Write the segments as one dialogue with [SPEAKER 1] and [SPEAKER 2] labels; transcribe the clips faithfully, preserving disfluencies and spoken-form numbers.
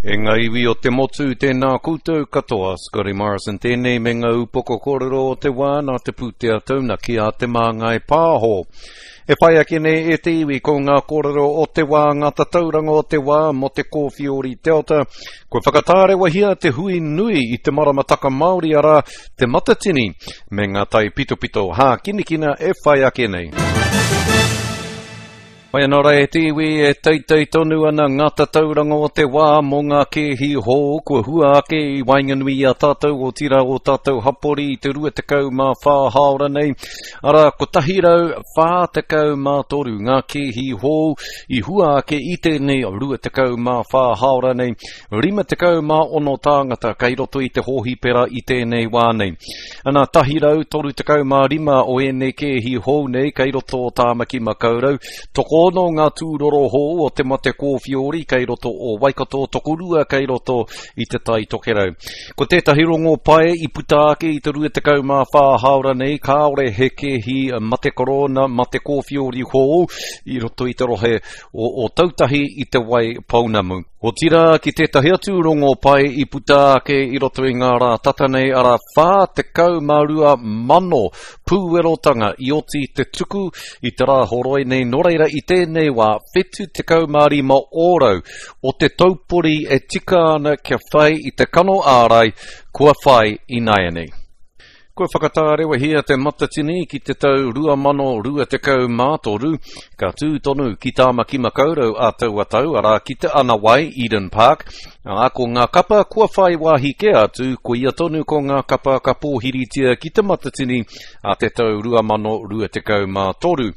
[SPEAKER 1] E ngā iwi o te motu, tēnā koutou katoa, Scotty Morrison tēnei me ngā upoko kōrero o te wā nā te pūtea taunaki a Te Māngai Pāho. E whai ake nei e te iwi ko ngā kōrero o te wā, ngā tatauranga o te wā mō te kōwhiori Delta. Kua whakatārewahia te hui nui i te maramataka Māori arā te Matatini me ngā taipitopito hākinakina e whai ake nei. Mai anō rā e te iwi e teitei tonu ana ngā tatauranga o te wā mō ngā kēhi hou kua hua ake i waenganui i a tātou otirā o tātou hapori i te rua tekau mā whā hāora nei. Arā, kotahi rau whā tekau mā toru ngā kēhi hou i hua ake i tēnei rua tekau mā whā hāora nei. Rima tekau mā ono tāngata kei roto i te hōhipera i tēnei wā nei. Ana, tahi rau toru tekau mā rima o ēnei kēhi hou nei kei roto o Tāmaki Makaurau. Tokoono ngā tūroro hou o te mate kōwhiori kei roto o Waikato, tokorua kei roto i te Tai Tokerau. Ko tētahi rongo pai i puta ake i te rua tekau mā whā hāora nei, kāore he kēhi mate korona, mate kōwhiori hou i roto i te rohe o Ōtautahi i Te Wai Pounamu. Otirā, ki tētahi atu rongo pai i puta ake i roto i ngā rā tata nei, arā whā tekau mā rua mano pūwerotanga i oti te tuku i te rā horoi nei, nō reira i tēnei wā whitu tekau mā rima ōrau o te taupori e tika ana kia whai i te kano ārai kua whai ināianei. Kua whakatārewahia te Matatini ki te tau rua mano rua tekau mā toru, ka tū tonu ki Tāmaki Makaurau a taua tau, arā ki Te Anawai, Eden Park, ā, ko ngā kapa kua whai wāhi kē atu, koia tonu ko ngā kapa ka pōhiritia ki te Matatini a te tau rua mano rua tekau mā toru.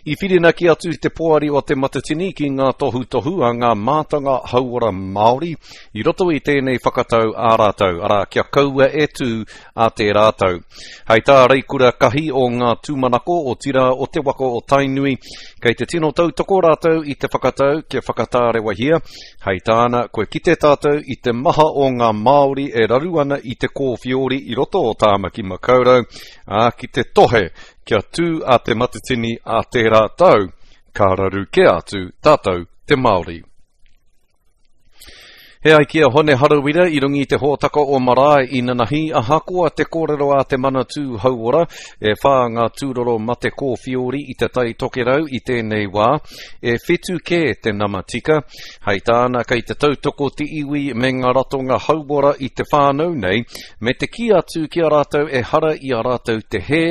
[SPEAKER 1] I whirinaki atu te poari o te Matatini ki ngā tohutohu a ngā mātanga hauora Māori i roto i tēnei whakatau ā rātou, arā, kia kaua e tū a tērā tau. Hei tā Reikura Kahi o ngā tūmanako, otirā o te waka o Tainui, kei te tino tautoko rātou i te whakatau kia whakatārewahia. Hei tāna, kua kite tātou i te maha o ngā Māori e raru ana i te kōwhiori i roto o Tāmaki Makaurau, ā, ki te tohe kia tū a Te Matatini a tērā tau, ka raru kē atu tātou te Māori. He ai ki a Hone Harawira i runga i te hōtaka o Marae i nanahi, ahakoa te kōrero a te Manatū Hauora, e whā ngā tūroro mate kōwhiori i te Tai Tokerau i tēnei wā, e whitu kē te nama tika. Hei tāna, kei te tautoko te iwi me ngā ratonga hauora i te whānau nei, me te kī atu ki a rātou ehara i a rātou te hē,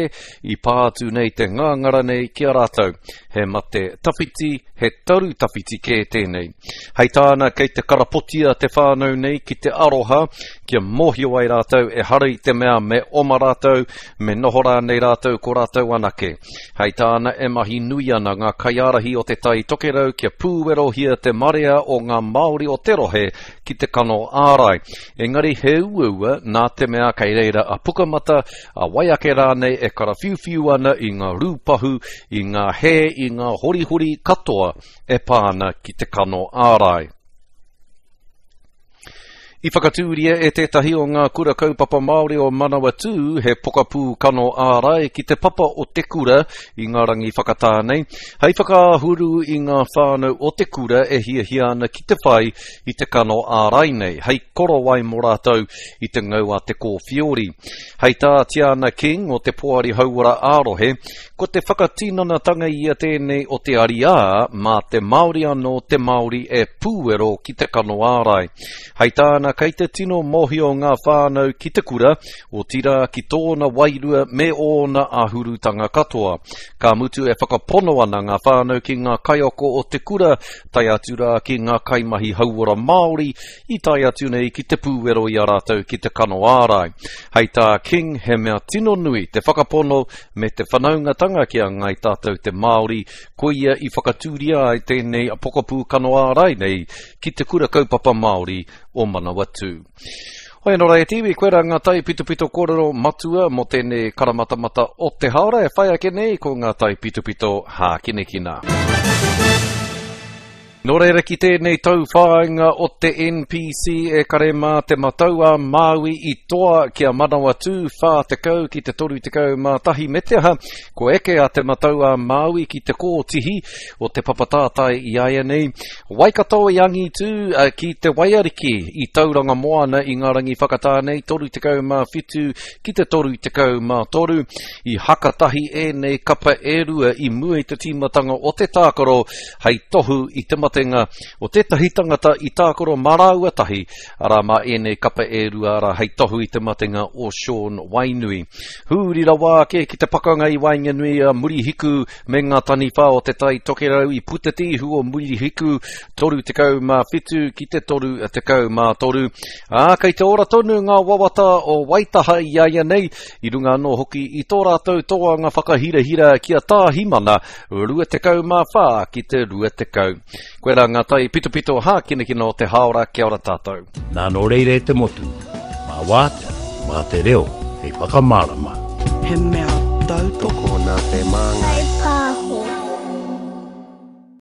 [SPEAKER 1] i pā atu nei te ngāngara nei ki a rātou. He mate tawhiti, he taru tawhiti kē tēnei. Hei tāna, kei te karapotia te whānau nei ki te aroha, kia mōhio ai rātou ehara i te mea me oma rātou, me noho rānei rātou ko rātou anake. Hei tāna, e mahi nui ana ngā kaiārahi o Te Tai Tokerau kia pūwerohia te marea o ngā Māori o te rohe ki te kano ārai. Engari he uaua nā te mea kei reira a Pukamata, a wai ake rānei e karawhiuwhiu ana i ngā rūpahu, i ngā hē, i ngā horihori katoa e pā ana ki te kano ārai. I whakatūria e tētahi o ngā kura kaupapa Māori o Manawatū he pokapū kano ārai ki te papa o te kura i ngā rangi whakatā nei, hei whakaahuru i ngā whānau o te kura e hiahia ana ki te whai i te kano ārai nei, hei korowai mō rātou i te ngau a te kōwhiori. Hei tā Tiana King o te Poari Hauora ā-Rohe, ko te whakatinanatanga ia tēnei o te ariā mā te Māori anō te Māori e pūwero ki te kano ārai. Hei tāna, kei te tino mōhio ngā whānau ki te kura, otirā ki tōna wairua me ōna āhurutanga katoa. Ka mutu e whakapono ana ngā whānau ki ngā kaiako o te kura, tae atu rā ki ngā kaimahi hauora Māori i tae atu nei ki te pūwero i a rātou ki te kano ārai. Hei tā King, he mea tino nui te whakapono me te whanaungatanga ki a Ngāi Tātou te Māori, koia i whakatūria ai tēnei pokapū kano ārai nei ki te Kura Kaupapa Māori o Manawatū. Hoi anō rā e te iwi, koirā ngā taipitopito kōrero matua mō tēnei karamatamata o te haora e whai ake nei ko ngā taipitopito hākinakina. Nō reira ki tēnei tauwhāinga o te N P C e kare mā te matau a Māui i toa kia Manawatū whā tekau ki te toru tekau mā tahi me te aha, ko eke a te matau a Māui ki te kōtihi o te papatātai i aia nei. Waikato i angitū ki te Waiariki i Tauranga Moana i ngā rangi whakatā nei toru tekau mā whitu ki te toru tekau mā toru. I hakatahi ēnei kapa e rua i mua i te tīmatanga o te tākaro hei tohu i te matenga o tētahi tangata i tākaro mā rāua tahi, arā mā ēnei kapa e rua ara hei tohu i te matenga o Sean Wainui. Hūri rawa ake ki te pakanga i waenganui a Murihiku me ngā taniwha o te Tai Tokerau i puta te ihu o Murihiku toru tekau mā whitu ki te toru tekau mā toru. Ā, kei te ora tonu ngā wawata o Waitaha i aia nei, i runga anō hoki i tō rātou toanga whakahirahira ki a Tāhimana, rua tekau mā whā ki te rua tekau. Koe rā ngā tai pitopito hākinakina o te haora, kia ora tātou.
[SPEAKER 2] Nā nō reira e te motu, mā wātea, mā te reo, hei whakamārama.
[SPEAKER 3] He mea tautoko
[SPEAKER 4] nā te māngai.